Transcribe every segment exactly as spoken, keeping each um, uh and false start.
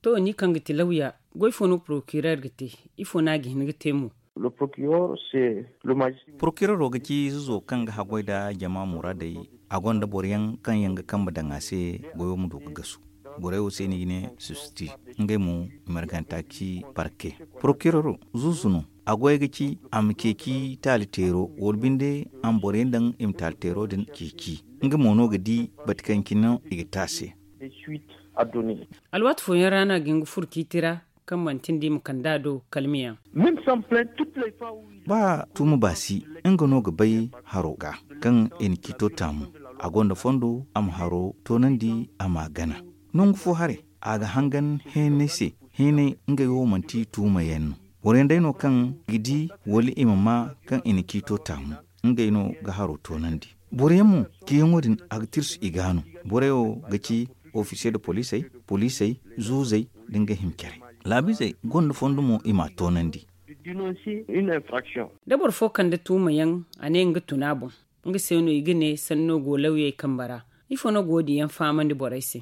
To, ni kaŋ ga ti lawya, goy fo no porokirer ga te? Ifo no a ga hin ga te mo? Porokirer wo ga ci zuzo kaŋ ga haggoy nda jama muraadey. A gonda boro yaŋ kaŋ yaŋ ga kambe daŋ a se, goyo ma du ga gasu. Borey wo se no i ga ne subsiti. Ngey mo, i marganta ci parke. Porokirer zuzu no. A goy ga ci a ma ceeci taali teero, wala binde a ma boro yaŋ daŋ i ma taali teero din ceeci. Nga mo no ga di bati kaŋ cine no i ga te a se. Alwaati fooyaŋ ra no a ga hin ga furo ciiti ra, kaŋ manti nda i ma kand'a do kalmiyaŋ. Ba tuuma baasi, nga no ga bay haro ga kaŋ i na ciito taamu. A gonda fondo a ma haro toonandi, a m'a gana. Nangu fo haray, a ga hangan heenay se. Heenay ngey wo manti tuuma yaŋ no. Boro yaŋ day no kaŋ ga di wala i ma maa kaŋ i na ciito taamu. Ngey no ga haro toonandi. Boro yaŋ mo, ciyaŋo din a ga tirsu i ga no. Borey wo ga ci ofisiye nda poliisey, poliisey, zuuzey, nda ngey hima carey. Laabiizey gonda fondo mo i m'a toonandi. Da boro fo kande tuuma yaŋ, a ne nga tun a boŋ. Nga se no i ga ne sanno go lawyey kambe ra. Ifo no go ga wo- din yaŋ fahamandi borey se?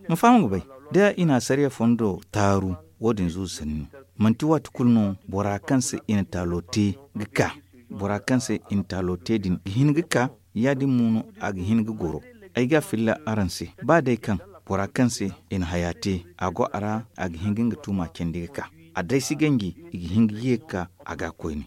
Ma faham ga bay, da i na asariya fondo taaru, wo- din zuuzu sanni no. Manti waati kulu no bora kaŋ se i na taalo te ga ka. Bora kaŋ se i na taalo te din ga hin ga ka. Ya- din mo no a ga hin ga goro. Ay ga a filla araŋ se, ba day kaŋ bora kaŋ se i na haya te, a go a ra, a ga hin ga nga tuuma candi ga ka. A day si ganji, i ga hin ga ye ga ka a ga koyne.